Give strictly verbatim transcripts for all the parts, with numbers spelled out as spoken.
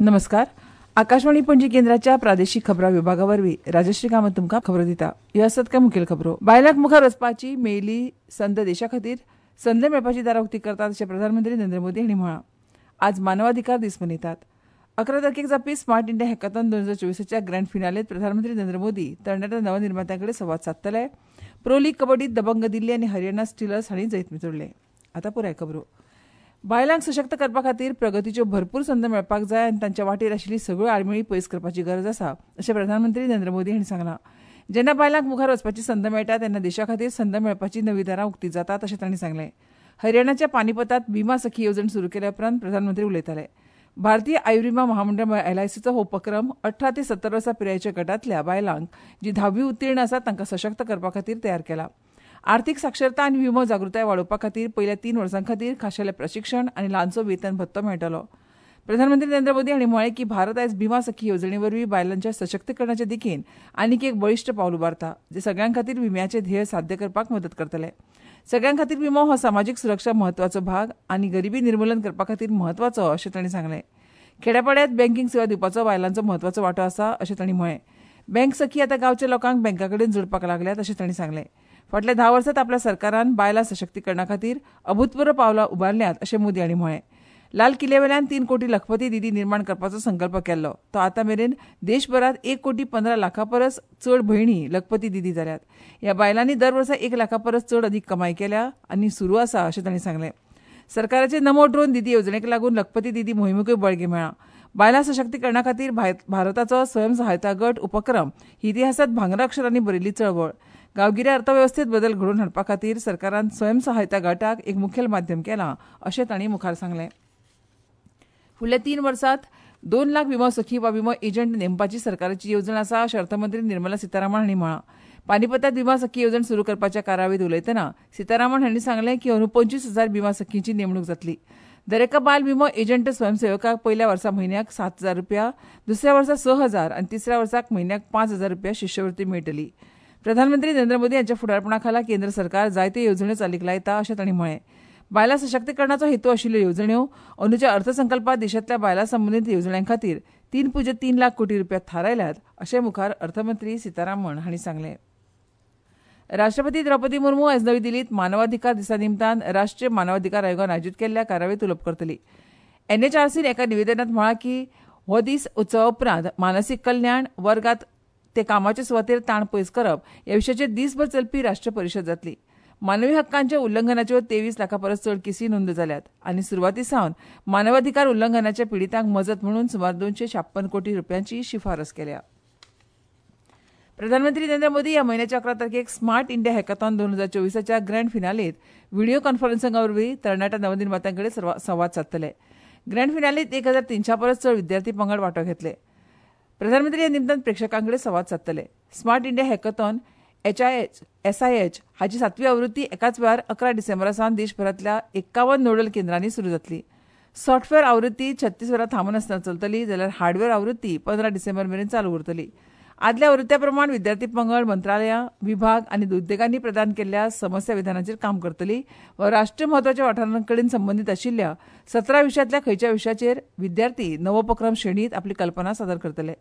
नमस्कार. आकाशवाणी पणजी केंद्राच्या प्रादेशीक खबरां विभागा वरवीं राजश्री कामत तुमकां खबरो दिता. ह्यो आसात कांय मुखेल खबरो. बायलांक मुखार वचपाची मेळिल्ली संद देशा खातीर संद मेळपाची दारां उक्ती करतात अशें प्रधानमंत्री नरेंद्र मोदी हांणी म्हळां. आज मानवाधिकार दीस मनयतात. अकरा तारखेक जावपी स्मार्ट इंडिया हॅकाथॉन दोन हजार चोवीसाच्या ग्रँड फिनालेंत प्रधानमंत्री नरेंद्र मोदी तरणाट्या नवनिर्मात्यां कडेन संवाद सादतले. प्रो लीग कबड्डीत दबंग दिल्ली आनी हरियाणा स्टिलर्स हांणी जैत मेळयलें. आतां पुराय खबरो. बायलांक सशक्त करपा खातीर प्रगतीच्यो भरपूर संद मेळपाक जाय आनी तांच्या वाटेर आशिल्ली सगळ्यो आडमेळी पयस करपाची गरज आसा अशें प्रधानमंत्री नरेंद्र मोदी हांणी सांगलां. जेन्ना बायलांक मुखार वचपाची संद मेळटा तेन्ना देशा खातीर संद मेळपाची नवी दारां उक्ती जातात अशें तांणी सांगलें. हरियाणाच्या पानीपतांत बिमा सखी येवजण सुरू केल्या उपरांत प्रधानमंत्री उलयताले. भारतीय आयुर्विमा महामंडळ म्हळ्यार एलआयसीचो हो उपक्रम अठरा ते सत्तर वर्सां पिरायेच्या गटांतल्या बायलांक जी धावी उत्तीर्ण आसात तांकां सशक्त करपा खातीर तयार केला. आर्थिक साक्षरता आनी विमो जागृताय वाडोवपा खातीर पयल्या तीन वर्सां खातीर खाशेलें प्रशिक्षण आनी ल्हानसो वेतन भत्तो मेळटलो. प्रधानमंत्री नरेंद्र मोदी हांणी म्हळें की भारत आयज बिमा सखी येवजणे वरवीं बायलांच्या सशक्तीकरणाच्या दिकेन आनीक एक बळिश्ट पावल उबारता, जें सगळ्यां खातीर विम्याचें ध्येय साध्य करपाक मदत करतलें. सगळ्यां खातीर विमो हो समाजीक सुरक्षा म्हत्वाचो भाग आनी गरिबी निर्मूलन करपा खातीर म्हत्वाचो अशें तांणी सांगलें. खेड्यापाड्यांत बँकींग सेवा दिवपाचो बायलांचो म्हत्वाचो वांटो आसा अशें तांणी म्हळें. बँक सखी आतां गांवच्या लोकांक बँका कडेन जोडपाक लागल्यात अशें तांणी सांगलें. फाटल्या धा वर्सांत आपल्या सरकारान बायलां सशक्तीकरणा खातीर अभूतपूर्व पावलां उबारल्यांत अशें मोदी हांणी म्हळें. लाल किल्ल्यावेल्यान तीन कोटी लखपती दिदी निर्माण करपाचो संकल्प केल्लो तो आतां मेरेन देशभरांत एक कोटी पंदरा लाखां परस चड भयणी लखपती दिदी जाल्यात. ह्या बायलांनी दर वर्सा एक लाखां परस चड अदीक कमाय केल्या आनी सुरू आसा अशें तांणी सांगलें. सरकाराचे नमो ड्रोन दिदी येवजणेक लागून लखपती दिदी मोहिमेकूय बळगें मेळ्ळां. बायलां सशक्तीकरणा खातीर भारताचो स्वयंसहायता गट उपक्रम ही इतिहासांत भांगरा अक्षरांनी बरयल्ली चळवळ. गांवगिऱ्या अर्थवेवस्थेत बदल घडोवन हाडपा खातीर सरकारान स्वयंसहायता गटाक एक मुखेल माध्यम केलां अशें तांणी मुखार सांगलें. फुडल्या तीन वर्सांत दोन लाख विमो सखी वा विमो एजंट नेमपाची सरकाराची येवजण आसा अशें अर्थमंत्री निर्मला सीतारामन हांणी म्हळां. पानीपतांत विमा सखी येवजण सुरू करपाच्या कार्यावळींत उलयतना सीतारामन हांणी सांगलें की अंदू पंचवीस हजार विमा सखींची नेमणूक जातली. दरेका बायल विमो एजंट स्वयंसेवकाक पयल्या वर्सा म्हयन्याक सात हजार रुपया, दुसऱ्या वर्सा स हजार आनी तिसऱ्या वर्साक म्हयन्याक पांच हजार रुपया शिश्यवृत्ती मेळटली. प्रधानमंत्री नरेंद्र मोदी हांच्या फुडारपणा खाला केंद्र सरकार जायत्यो येवजण्यो चालीक लायता अशें तांणी म्हळें. बायलां सशक्तीकरणाचो हेतू आशिल्ल्यो येवजण्यो अंदूच्या अर्थसंकल्पांत देशांतल्या बायलां संबंदीत येवजण्यां खातीर तीन पुज्य तीन लाख कोटी रुपया थारायल्यात अशें मुखार अर्थमंत्री सीतारामन हांणी सांगलें. राष्ट्रपती द्रौपदी मुर्मू आयज नवी दिल्लींत मानवाधिकार दिसा निमतान राष्ट्रीय मानवाधिकार आयोगान आयोजीत केल्ल्या कार्यावळींत उलोवप करतली. एनएचआरसीन एका निवेदनांत म्हळां की हो दीस उत्सवा उपरांत मानसीक कल्याण वर्गात ते कामाचे सुवातेर ताण पयस करप ह्या विशयाचेर दीसभर चलपी राष्ट्रीय परिशद जातली. मानवी हक्कांच्या उल्लंघनाच्यो तेवीस लाखां परस चड केसी नोंद जाल्यात आनी सुरवाती सावन मानवाधिकार उल्लंघनाच्या पिडितांक मजत म्हणून सुमार दोनशे छाप्पन कोटी रुपयांची शिफारस केल्या. प्रधानमंत्री नरेंद्र मोदी ह्या म्हयन्याच्या अकरा तारखेक स्मार्ट इंडिया हॅकाथॉन दोन हजार चोवीसाच्या ग्रँड फिनालेंत व्हिडियो कॉन्फरन्सिंगा वरवीं तरणाट्या नवनिर्मात्यां कडेन संवाद सादतले. ग्रँड फिनालेंत एक हजार तिनशां परस चड विद्यार्थी पंगड वांटो घेतले. प्रधानमंत्री ह्या निमतान प्रेक्षकां कडेन संवाद सादतले. Smart India hackathon H I H S I H हाची सातवी आवृत्ती एकाच वेळार अकरा डिसेंबरा सावन देशभरांतल्या एकावन्न नोडल केंद्रांनी सुरू जातली. सॉफ्टवेअर आवृत्ती छत्तीस वरां थांबनासतना चलतली जाल्यार हार्डवेअर आवृत्ती पंदरा डिसेंबर मेरेन चालू उरतली. आदल्या आवृत्त्या प्रमाण विद्यार्थी पंगड मंत्रालयां, विभाग आनी उद्देगांनी प्रदान केल्ल्या समस्या विधानाचेर काम करतली वा राष्ट्रीय म्हत्वाच्या वाठारां कडेन संबंदीत आशिल्ल्या सतरा विशयांतल्या खंयच्या विशयाचेर विद्यार्थी नवोपक्रम श्रेणींत आपली कल्पना सादर करतले.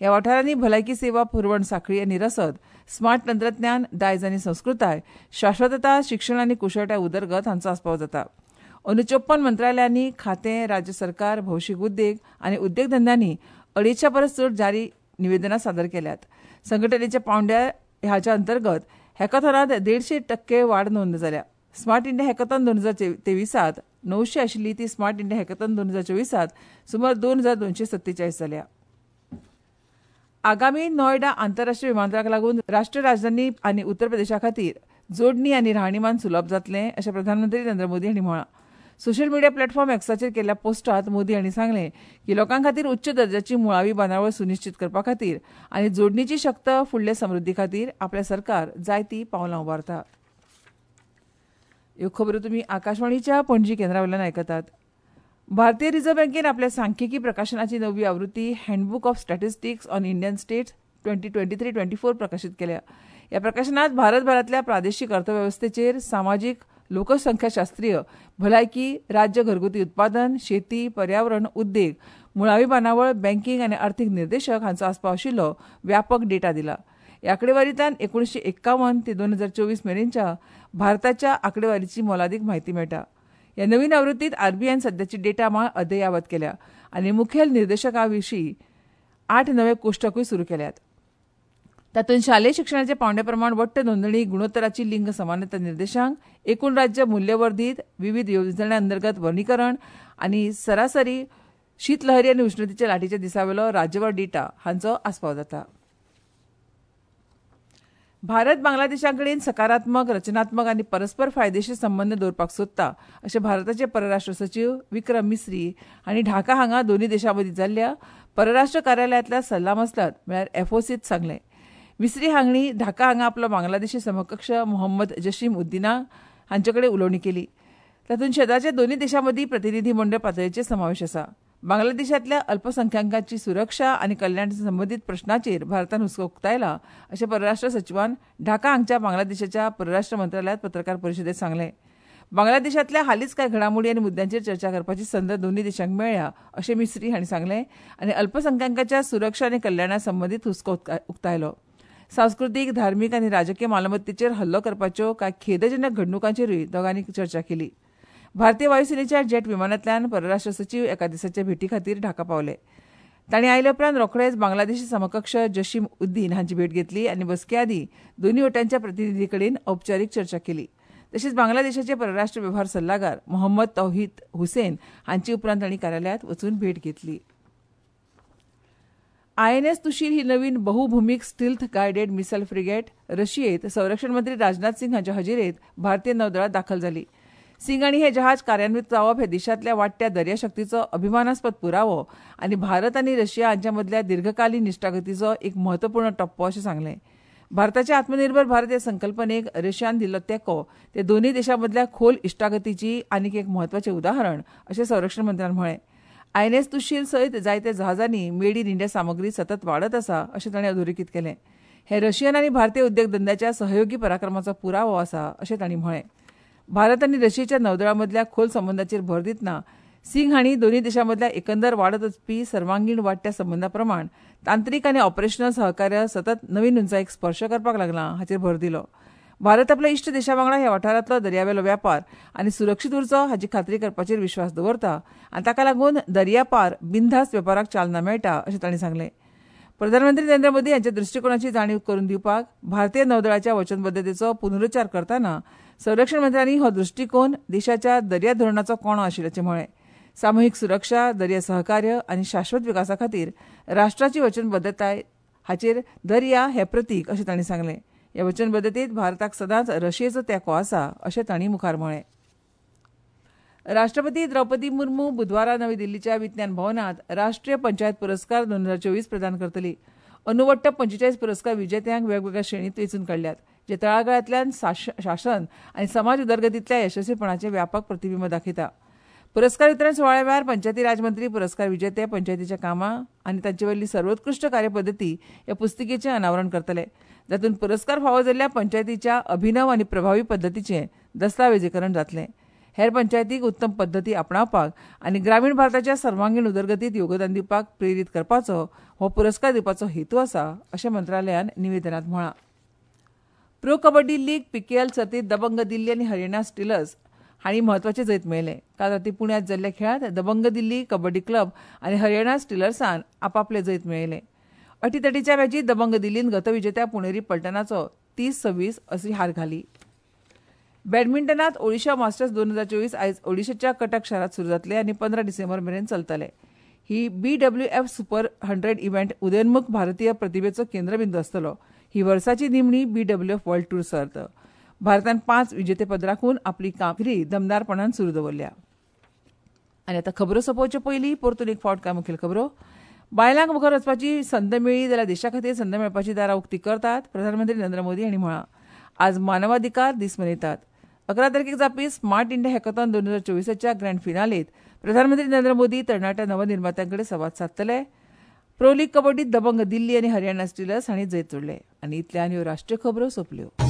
ह्या वाठारांनी भलायकी सेवा पुरवण साखळी आनी रसद, स्मार्ट तंत्रज्ञान, दायज आनी संस्कृताय, शाश्वतता, शिक्षण आनी कुशळटाय उदरगत हांचो आस्पाव जाता. अंदू चोप्पन मंत्रालयांनी, खातें, राज्य सरकार, भौशीक उद्देग आनी उद्देगधंद्यांनी अडेचशा परस चड जारी निवेदनां सादर केल्यात. संघटनेच्या पांवड्यार हाच्या अंतर्गत हॅकाथॉनांत देडशे टक्के वाड नोंद जाल्या. स्मार्ट इंडिया हॅकाथॉन दोन हजार तेविसांत णवशे आशिल्ली ती स्मार्ट इंडिया हॅकाथॉन दोन हजार चोवीसांत सुमार दोन हजार दोनशे सत्तेचाळीस जाल्या. आगामी नोयडा आंतरराष्ट्रीय विमानतळाक लागून राष्ट्रीय राजधानी आनी उत्तर प्रदेशा खातीर जोडणी आनी राहणीमान सुलभ जातलें अशें प्रधानमंत्री नरेंद्र मोदी हांणी म्हळां. सोशल मिडिया प्लॅटफॉर्म एक्साचेर केल्ल्या पोस्टांत मोदी हांणी सांगलें की लोकां खातीर उच्च दर्जाची मुळावी बांदावळ सुनिश्चीत करपा खातीर आनी जोडणीची शक्त फुडले समृद्धी खातीर आपलें सरकार जायतीं पावलां उबारता. ह्यो खबरो तुमी आकाशवाणीच्या पणजी केंद्रा वयल्यान आयकतात. भारतीय रिझर्व्ह बँकेन आपल्या सांख्यिकी प्रकाशनाची नवी आवृत्ती handbook of statistics on Indian states twenty twenty three twenty four प्रकाशीत केल्या. ह्या प्रकाशनात भारतभरांतल्या प्रादेशीक अर्थवेवस्थेचेर सामाजीक, लोकसंख्याशास्त्रीय, भलायकी, राज्य घरगुती उत्पादन, शेती, पर्यावरण, उद्देग, मुळावी बांदावळ, बँकींग आनी अर्थीक निर्देशक हांचो आस्पाव आशिल्लो व्यापक डेटा दिला. ह्या आंकडेवारींतल्यान एकुणशे एक्कावन ते दोन हजार चोवीस मेरेनच्या भारताच्या आंकडेवारीची मोलादीक म्हायती मेळटा. ह्या नवीन आवृत्तींत आरबीआयन सद्याची डेटा माळ अद्ययावत केल्या आनी मुखेल निर्देशकां विशीं आठ नवे कोश्टकूय सुरू केल्यात. तातूंत शालेय शिक्षणाच्या पांवड्या प्रमाण वट्ट नोंदणी गुणोत्तराची लिंग समानता निर्देशांक, एकूण राज्य मूल्यवर्धीत, विवीध येवजण्यां अंतर्गत वर्णीकरण आनी सरासरी शीतलहरी आनी उश्णतेच्या लाटीच्या दिसावेलो राज्यवार डेटा हांचो आस्पाव जाता. भारत बांगलादेशा कडेन सकारात्मक, रचनात्मक आनी परस्पर फायदेशीर संबंद दवरपाक सोदता अशें भारताचे परराष्ट्र सचीव विक्रम मिस्री हांणी ढाका हांगा दोनूय देशां मदीं जाल्ल्या परराष्ट्र कार्यालयांतल्या सल्लामसलत म्हळ्यार एफओसींत सांगलें. मिस्री हांणी ढाका हांगा आपलो बांगलादेशी समकक्ष मोहम्मद जशीम उद्दिना हांचे कडेन उलोवणी केली. तातूंत शेजारच्या दोनूय देशां मदीं प्रतिनिधी मंडळ पातळेचे समावेश आसा. बांगलादेशांतल्या अल्पसंख्यांकांची सुरक्षा आनी कल्याण संबंदीत प्रश्नाचेर भारतान हुस्को उक्तायला अशें परराष्ट्र सचिवान ढाका हांगच्या बांगलादेशाच्या परराष्ट्र मंत्रालयांत पत्रकार परिशदेंत सांगलें. बांगलादेशांतल्या हालींच कांय घडामोडी आनी मुद्द्यांचेर चर्चा करपाची संद दोनूय देशांक मेळ्ळ्या अशें मिस्री हांणी सांगलें आनी अल्पसंख्यांकांच्या सुरक्षा आनी कल्याणा संबंदीत हुस्को उक्तायलो. सांस्कृतीक, धार्मीक आनी राजकीय मालमत्तेचेर हल्लो करपाच्यो कांय खेदजनक घडणुकांचेरूय दोगांनी चर्चा केली. भारतीय वायुसेनेच्या जेट विमानांतल्यान परराष्ट्र सचीव एका दिसाच्या भेटी खातीर ढाका पावले. तांणी आयले उपरांत रोखडेच बांगलादेशी समकक्ष जशीम उद्दीन हांची भेट घेतली आनी बसके आदीं दोनूय वटांच्या प्रतिनिधी कडेन औपचारीक चर्चा केली. तशेंच बांगलादेशाचे परराष्ट्र वेव्हार सल्लागार मोहम्मद तौहीद हुसेन हांची उपरांत तांणी कार्यालयांत वचून भेट घेतली. आयएनएस तुशीर ही नवीन बहुभूमिक स्टिल्थ गायडेड मिसायल फ्रिगेट रशियेंत संरक्षण मंत्री राजनाथ सिंग हांच्या हजेरेंत भारतीय नौदळांत दाखल जाली. सिंग हांणी हे जहाज कार्यान्वित जावप हे देशांतल्या वाडट्या दर्याशक्तीचो अभिमानास्पद पुरावो आनी भारत आनी रशिया हांच्या मदल्या दीर्घकालीन इश्टागतीचो एक म्हत्वपूर्ण टप्पो अशें सांगलें. भारताच्या आत्मनिर्भर भारत हे संकल्पनेक रशियान दिल्लो तेंको ते दोनूय देशां मदल्या खोल इश्टागतीची आनीक एक म्हत्वाचें उदाहरण अशें संरक्षण मंत्र्यान म्हळें. आयएनएस तुशील सयत जायत्या जहाजांनी मेड इन इंडिया सामग्री सतत वाडत आसा अशें तांणी अधोरेखीत केलें. हे रशियन आनी भारतीय उद्देगधंद्याच्या सहयोगी पराक्रमाचो पुरावो आसा अशें तांणी म्हळें. भारत आनी रशियेच्या नौदळा मदल्या खोल संबंदाचेर भर दितना सिंग हांणी दोनूय देशां मदल्या एकंदर वाडत वचपी सर्वांगीण वाडट्या संबंदा प्रमाण तांत्रीक आनी ऑपरेशनल सहकार्य सतत नवीन उंचायेक स्पर्श करपाक लागलां हाचेर भर दिलो. भारत आपल्या इश्ट देशा वांगडा ह्या वाठारांतलो दर्यावेलो व्यापार आनी सुरक्षीत उरचो हाची खात्री करपाचेर विश्वास दवरता आनी ताका लागून दर्यापार बिनधास्त वेपाराक चालना मेळटा अशें तांणी सांगलें. प्रधानमंत्री नरेंद्र मोदी हांच्या दृश्टिकोनाची जाणीव करून दिवपाक भारतीय नौदळाच्या वचनबद्दतेचो पुनरुच्चार करतना संरक्षण मंत्र्यांनी हो दृश्टिकोन देशाच्या दर्या धोरणाचो कणो आशिल्ल्याचें म्हळें. सामुहीक सुरक्षा, दर्या सहकार्य आनी शाश्वत विकासा खातीर राष्ट्राची वचनबद्दताय हाचेर दर्या हें प्रतीक अशें तांणी सांगलें. ह्या वचनबद्दतेंत भारताक सदांच रशियेचो तेंको आसा अशें तांणी मुखार म्हळें. राष्ट्रपती द्रौपदी मुर्मू बुधवारा नवी दिल्लीच्या विज्ञान भवनांत राष्ट्रीय पंचायत पुरस्कार दोन हजार चोवीस प्रदान करतली. अंदू वट्ट पंचेचाळीस पुरस्कार विजेत्यांक वेगवेगळ्या श्रेणींत वेंचून काडल्यात, जे तळागाळांतल्यान शासन आनी समाज उदरगतींतल्या यशस्वीपणाचें व्यापक प्रतिबिंब दाखयता. पुरस्कार वितरण सुवाळ्या वेळार पंचायती राज मंत्री पुरस्कार विजेते पंचायतीच्या कामां आनी तांचे वयली सर्वोत्कृश्ट कार्यपद्दती ह्या पुस्तिकेचें अनावरण करतले, जातूंत पुरस्कार फावो जाल्ल्या पंचायतीच्या अभिनव आनी प्रभावी पद्दतीचें दस्तावेजीकरण जातलें. हेर पंचायतीक उत्तम पद्दती आपणावपाक आनी ग्रामीण भारताच्या सर्वांगीण उदरगतींत योगदान दिवपाक प्रेरीत करपाचो हो पुरस्कार दिवपाचो हेतू आसा अशें मंत्रालयान निवेदनांत म्हळां. प्रो कबड्डी लीग पीकेएल सर्तींत दबंग दिल्ली आनी हरियाणा स्टिलर्स हांणी म्हत्वाचें जैत मेळयलें. काल रातीं पुण्यांत जाल्ल्या खेळांत दबंग दिल्ली कबड्डी क्लब आनी हरियाणा स्टिलर्सान आपापलें जैत मेळयलें. अटीतटीच्या मॅचींत दबंग दिल्लीन गतविजेत्या पुणेरी पलटनाचो तीस सव्वीस अशी हार घाली. बॅडमिंटनांत ओडिशा मास्टर्स दोन हजार चोवीस आयज ओडिशाच्या कटक शारांत सुरू जातले आनी पंदरा डिसेंबर मेरेन चलतले. ही B W F super hundred event उदयोन्मुख भारतीय प्रतिभेचो केंद्रबिंदू आसतलो. ही वर्साची निमणी B W F world tour सर्त. भारतान पांच विजेतेपद राखून आपली कामगिरी दमदारपणान सुरू दवरल्या. आनी आतां खबरो सोंपोवचे पयलीं परतून एक फावट कांय मुखेल खबरो. बायलांक मुखार वचपाची संद मेळ्ळी जाल्यार देशा खातीर संद मेळपाची दारां उक्ती करतात, प्रधानमंत्री नरेंद्र मोदी हांणी म्हळां. आज मानवाधिकार दीस मनयतात. अकरा तारखेक जावपी स्मार्ट इंडिया हॅकॉथॉन दोन हजार चोवीसाच्या ग्रँड फिनालेंत प्रधानमंत्री नरेंद्र मोदी तरणाट्या नवनिर्मात्यां कडेन संवाद सादतले. प्रो लीग कबड्डीत दबंग दिल्ली आनी हरियाणा स्टिलर्स हांणी जैत जोडलें. आनी इतल्यान ह्यो राष्ट्रीय खबरो सोंपल्यो.